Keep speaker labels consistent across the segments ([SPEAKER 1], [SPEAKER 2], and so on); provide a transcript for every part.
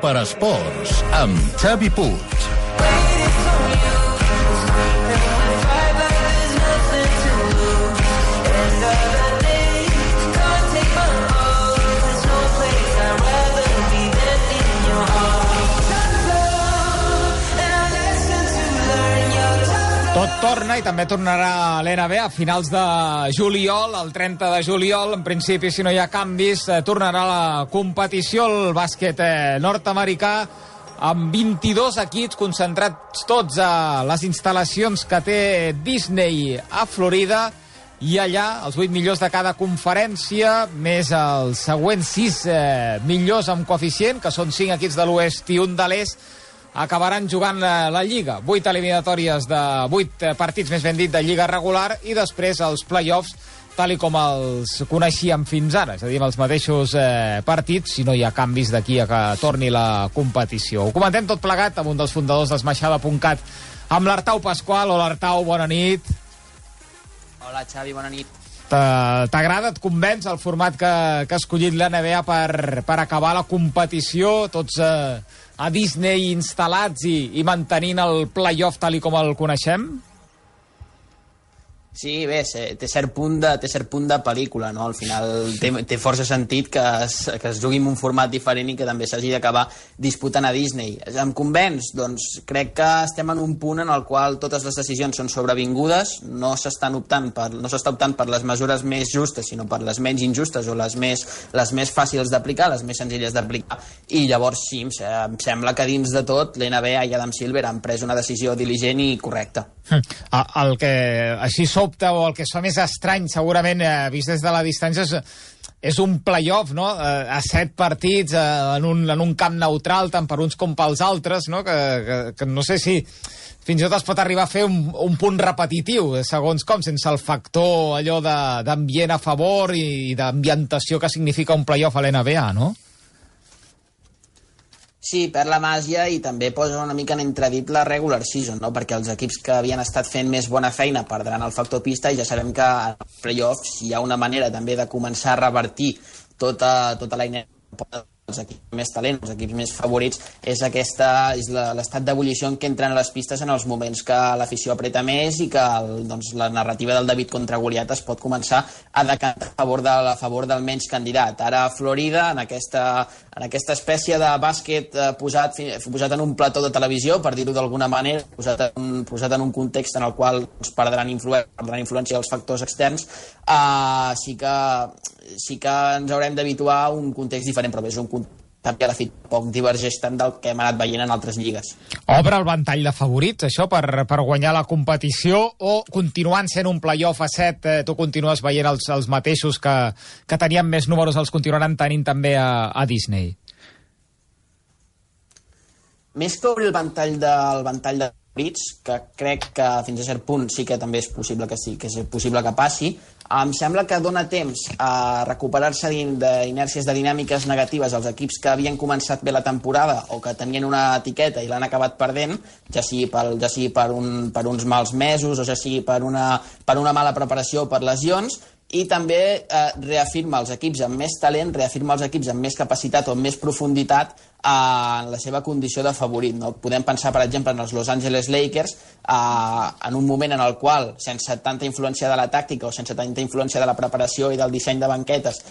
[SPEAKER 1] per Esports, amb Xavi Puig.
[SPEAKER 2] Tot torna i també tornarà l'NBA a finals de juliol, el 30 de juliol. En principi, si no hi ha canvis, tornarà la competició, el bàsquet nord-americà, amb 22 equips concentrats tots a les instal·lacions que té Disney a Florida, i allà els 8 millors de cada conferència, més els següents 6 millors amb coeficient, que són 5 equips de l'oest i un de l'est, acabaran jugant la Lliga. 8 eliminatòries de 8 partits, més ben dit, de Lliga regular, i després els play-offs, tal i com els coneixíem fins ara, és a dir, amb els mateixos partits, si no hi ha canvis d'aquí a que torni la competició. Ho comentem tot plegat amb un dels fundadors d'Esmaixada.cat, amb l'Artau Pasqual. Hola, Artau, bona nit.
[SPEAKER 3] Hola, Xavi, bona nit.
[SPEAKER 2] T'agrada, et convenç el format que ha escollit l'NBA per acabar la competició, tots a Disney instal·lats i mantenint el play-off tal i com el coneixem?
[SPEAKER 3] Sí, bé, té cert punt de pel·lícula, no? Al final té força sentit que es jugui en un format diferent i que també s'hagi d'acabar disputant a Disney. Em convenç? Doncs crec que estem en un punt en el qual totes les decisions són sobrevingudes, no s'està optant per les mesures més justes, sinó per les menys injustes o les més fàcils d'aplicar, les més senzilles d'aplicar, i llavors sí, em sembla que dins de tot l'NBA i Adam Silver han pres una decisió diligent i correcta.
[SPEAKER 2] El que així sobta, o el que es fa més estrany, segurament, vist des de la distància, és un play-off, no? A 7 partits, en un camp neutral, tant per uns com pels altres, no? Que no sé si fins i tot es pot arribar a fer un punt repetitiu, segons com, sense el factor allò d'ambient a favor i d'ambientació que significa un play-off a l'NBA, no?
[SPEAKER 3] Sí, perd la màgia i també posa una mica en entredit la regular season, no? Perquè els equips que havien estat fent més bona feina perdran el factor pista, i ja sabem que en els playoffs hi ha una manera també de començar a revertir tota la inèrcia els equips més talent, els equips més favorits, és l'estat d'ebullició en què entren a les pistes en els moments que l'afició apreta més i que la narrativa del David contra Goliat es pot començar a decantar a favor del menys candidat. Ara a Florida, en aquesta espècie de bàsquet posat en un plató de televisió, per dir-ho d'alguna manera, posat en un context en el qual perdran influència els factors externs, sí que ens haurem d'habituar a un context diferent, però és un context que a la fi poc divergeix tant del que hem anat veient en altres lligues.
[SPEAKER 2] Obre el ventall de favorits, això, per guanyar la competició, o continuant sent un play-off a 7, tu continues veient els mateixos que tenien més números, els continuaran tenint també a Disney?
[SPEAKER 3] Més que obrir el ventall de favorits, que crec que fins a cert punt sí que també és possible que passi, em sembla que dona temps a recuperar-se d'inèrcies de dinàmiques negatives als equips que havien començat bé la temporada o que tenien una etiqueta i l'han acabat perdent, ja sigui per uns mals mesos o ja sigui per una mala preparació o per lesions, i també reafirma els equips amb més talent, reafirma els equips amb més capacitat o amb més profunditat en la seva condició de favorit, no? Podem pensar, per exemple, en els Los Angeles Lakers, en un moment en el qual, sense tanta influència de la tàctica o sense tanta influència de la preparació i del disseny de banquetes,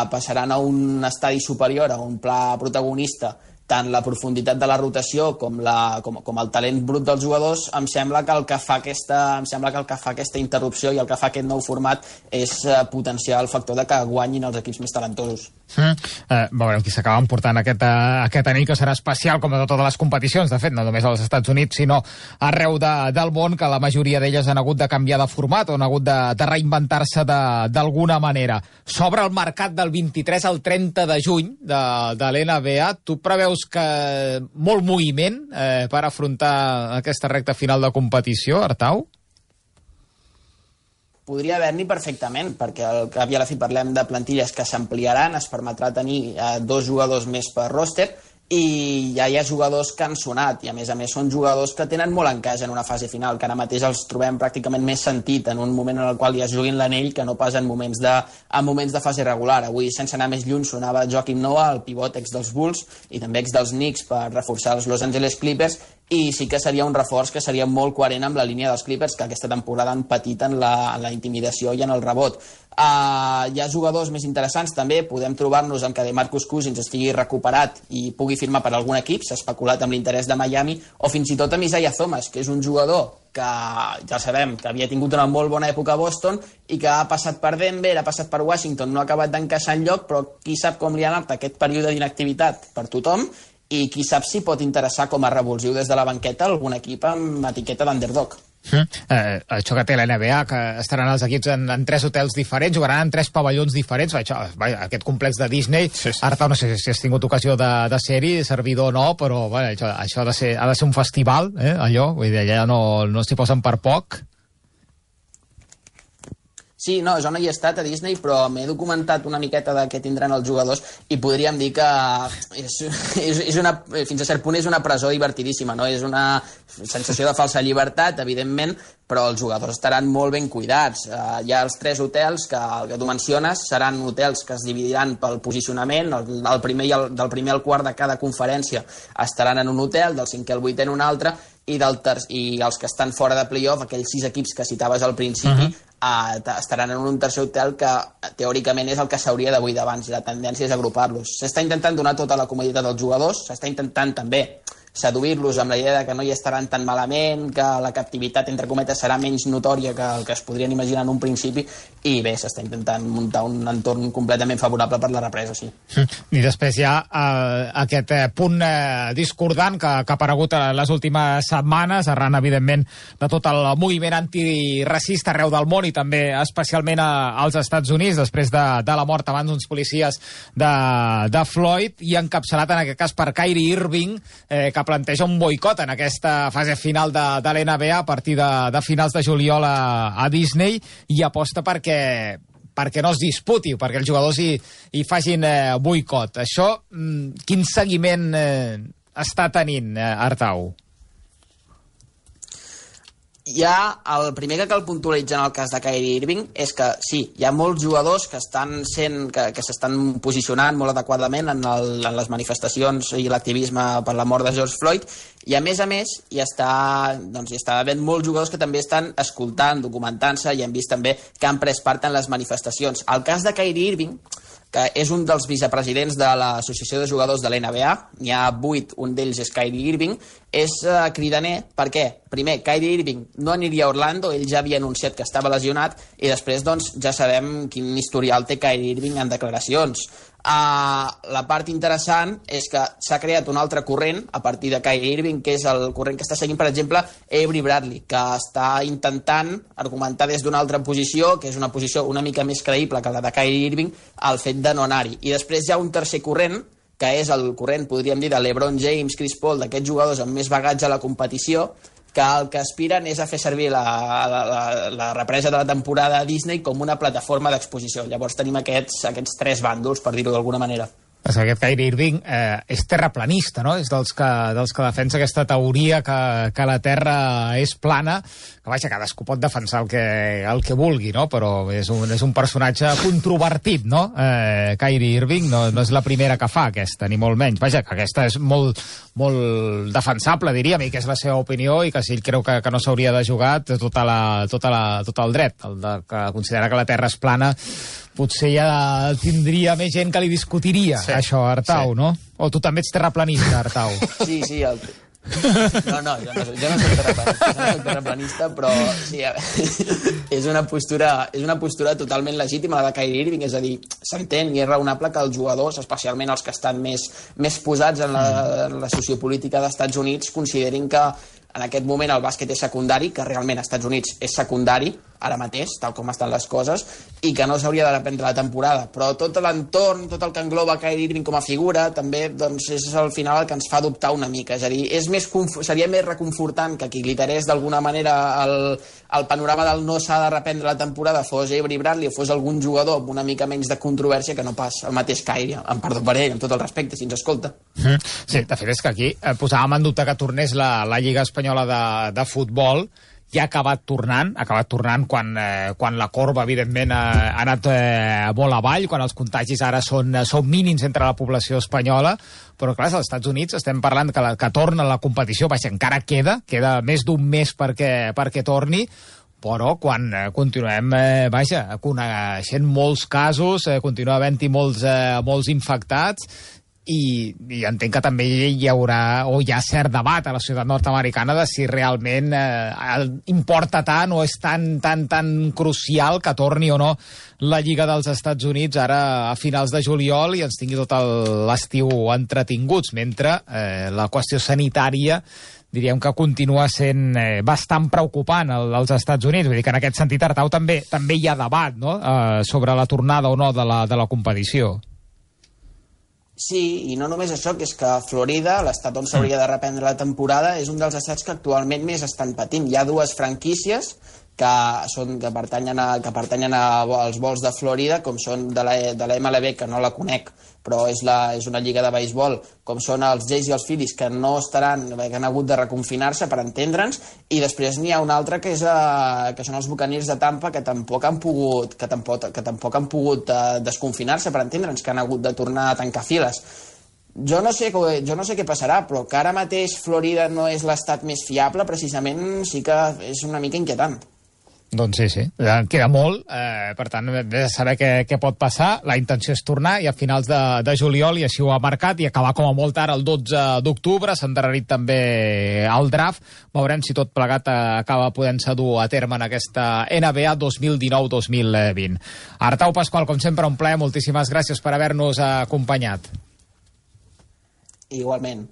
[SPEAKER 3] passaran a un estadi superior, a un pla protagonista, tant la profunditat de la rotació com el talent brut dels jugadors. Em sembla que el que fa aquesta interrupció i el que fa aquest nou format és potenciar el factor de que guanyin els equips més talentosos.
[SPEAKER 2] Veurem qui s'acaba emportant aquest anell, que serà especial, com a totes les competicions, de fet, no només als Estats Units, sinó arreu del món, que la majoria d'elles han hagut de canviar de format o han hagut de reinventar-se d'alguna manera. S'obre el mercat del 23 al 30 de juny de l'NBA. Tu preveus que molt moviment per afrontar aquesta recta final de competició, Artau?
[SPEAKER 3] Podria haver-n'hi perfectament, perquè al cap i a la fi parlem de plantilles que s'ampliaran, es permetrà tenir 2 jugadors més per roster, i ja hi ha jugadors que han sonat, i a més són jugadors que tenen molt en casa en una fase final, que ara mateix els trobem pràcticament més sentit en un moment en el qual ja es juguin l'anell que no pas en moments de fase regular. Avui, sense anar més lluny, sonava Joakim Noah, el pivot ex dels Bulls i també ex dels Knicks, per reforçar els Los Angeles Clippers, i sí que seria un reforç que seria molt coherent amb la línia dels Clippers, que aquesta temporada han patit en la intimidació i en el rebot. Hi ha jugadors més interessants també, podem trobar-nos amb que DeMarcus Cousins estigui recuperat i pugui firmar per algun equip, s'ha especulat amb l'interès de Miami, o fins i tot amb Isaiah Thomas, que és un jugador que ja sabem que havia tingut una molt bona època a Boston i que ha passat per Denver, ha passat per Washington, no ha acabat d'encaixar enlloc, però qui sap com li ha anat aquest període d'inactivitat per tothom, i qui sap si pot interessar com a revulsiu des de la banqueta algun equip amb etiqueta d'underdog.
[SPEAKER 2] Això que té la NBA, que estaran els equips en 3 hotels diferents, jugaran en 3 pavellons diferents, aquest complex de Disney, Artau, no sé si has tingut ocasió de ser-hi, servidor no, però això ha de ser un festival, allò, vull dir, allà no s'hi posen per poc.
[SPEAKER 3] Sí, no, jo no hi he estat a Disney, però m'he documentat una miqueta de què tindran els jugadors i podríem dir que fins a cert punt és una presó divertidíssima, no? És una sensació de falsa llibertat, evidentment, però els jugadors estaran molt ben cuidats. Hi ha els 3 hotels que tu menciones, seran hotels que es dividiran pel posicionament, del primer al quart de cada conferència estaran en un hotel, del 5è al 8è en un altre, i els que estan fora de playoff, aquells 6 equips que citaves al principi, estaran en un tercer hotel que teòricament és el que s'hauria de buidar abans, i la tendència és agrupar-los. S'està intentant donar tota la comoditat als jugadors, s'està intentant també seduir-los amb la idea que no hi estaran tan malament, que la captivitat, entre cometes, serà menys notòria que el que es podrien imaginar en un principi, i bé, s'està intentant muntar un entorn completament favorable per la represa, sí.
[SPEAKER 2] I després hi ha aquest punt discordant que ha aparegut les últimes setmanes, arran, evidentment, de tot el moviment antiracista arreu del món i també especialment als Estats Units, després de la mort abans d'uns policies de Floyd, i encapçalat en aquest cas per Kyrie Irving, que planteja un boicot en aquesta fase final de l'NBA a partir de finals de juliol a Disney, i aposta perquè no es disputi, perquè els jugadors hi facin boicot. Això, quin seguiment està tenint, Artau?
[SPEAKER 3] El primer que cal puntualitzar en el cas de Kyrie Irving és que sí, hi ha molts jugadors que s'estan posicionant molt adequadament en les manifestacions i l'activisme per la mort de George Floyd, i a més hi està havent molts jugadors que també estan escoltant, documentant-se, i hem vist també que han pres part en les manifestacions. El cas de Kyrie Irving, que és un dels vicepresidents de l'Associació de Jugadors de l'NBA, n'hi ha 8, un d'ells és Kyrie Irving, és cridaner perquè, primer, Kyrie Irving no aniria a Orlando, ell ja havia anunciat que estava lesionat, i després ja sabem quin historial té Kyrie Irving en declaracions. La part interessant és que s'ha creat un altre corrent a partir de Kyrie Irving, que és el corrent que està seguint, per exemple, Avery Bradley, que està intentant argumentar des d'una altra posició, que és una posició una mica més creïble que la de Kyrie Irving, el fet de no anar-hi. I després hi ha un tercer corrent, que és el corrent, podríem dir, de LeBron James, Chris Paul, d'aquests jugadors amb més bagatge a la competició, que el que aspiren és a fer servir la represa de la temporada a Disney com una plataforma d'exposició. Llavors tenim aquests 3 bàndols, per dir-ho d'alguna manera.
[SPEAKER 2] Aquest Kyrie Irving és terraplanista, no? És dels que defensa aquesta teoria que la Terra és plana, que vaja, cadascú pot defensar el que vulgui, no? Però és un personatge controvertit, no? Kyrie Irving no és la primera que fa aquesta, ni molt menys. Vaja, que aquesta és molt defensable, diríem, i que és la seva opinió, i que si ell creu que no s'hauria de jugar, té tot el dret. El de considerar que la Terra és plana potser ja tindria més gent que li discutiria, això, Artau, no? O tu també ets terraplanista, Artau?
[SPEAKER 3] Sí, No, jo no soc terraplanista, però sí, és una postura totalment legítima la de Kyrie Irving, és a dir, s'entén i és raonable que els jugadors, especialment els que estan més posats en la sociopolítica dels Estats Units, considerin que en aquest moment el bàsquet és secundari, que realment als Estats Units és secundari, ara mateix, tal com estan les coses, i que no s'hauria de reprendre la temporada. Però tot l'entorn, tot el que engloba Kyrie Irving com a figura, també doncs, és al final el que ens fa dubtar una mica. És a dir, seria més reconfortant que qui glitterés d'alguna manera el panorama del no s'ha de reprendre la temporada fos Avery Bradley o fos algun jugador amb una mica menys de controvèrsia que no pas el mateix Kyrie, amb perdó per ell, amb tot el respecte, si ens escolta.
[SPEAKER 2] Sí, de fet és que aquí posàvem en dubte que tornés la Lliga Espanyola de futbol, i ha acabat tornant quan la corba, evidentment, ha anat molt avall, quan els contagis ara són mínims entre la població espanyola, però clar, als Estats Units estem parlant que torna la competició, encara queda més d'un mes perquè torni, però quan continuem, coneixent molts casos, continua havent-hi molts infectats, i entenc que també hi haurà o hi ha cert debat a la ciutat nord-americana de si realment importa tant o és tan crucial que torni o no la Lliga dels Estats Units ara a finals de juliol i ens tingui tot l'estiu entretinguts, mentre la qüestió sanitària diríem que continua sent bastant preocupant als Estats Units. Vull dir que en aquest sentit, Artau, també hi ha debat, no?, sobre la tornada o no de la competició.
[SPEAKER 3] Sí, i no només això, que és que Florida, l'estat on s'hauria de reprendre la temporada, és un dels estats que actualment més estan patint. Hi ha dues franquícies que pertanyen als vols de Florida, com són de la MLB, que no la conec, però és una lliga de beisbol, com són els Jays i els Phillies, que no estaran, que han hagut de reconfinar-se, per entendre'ns, i després n'hi ha una altra que són els Buccaneers de Tampa, que tampoc han pogut desconfinar-se, per entendre'ns, que han hagut de tornar a tancar files. Jo no sé què passarà, però que ara mateix Florida no és l'estat més fiable, precisament sí que és una mica inquietant.
[SPEAKER 2] Doncs sí, queda molt, per tant, hem de saber què pot passar. La intenció és tornar i a finals de juliol, i així ho ha marcat, i acabar com a molt tard el 12 d'octubre, s'ha endarrerit també el draft. Veurem si tot plegat acaba podent-se dur a terme en aquesta NBA 2019-2020. Artau Pasqual, com sempre, un plaer, moltíssimes gràcies per haver-nos acompanyat.
[SPEAKER 3] Igualment.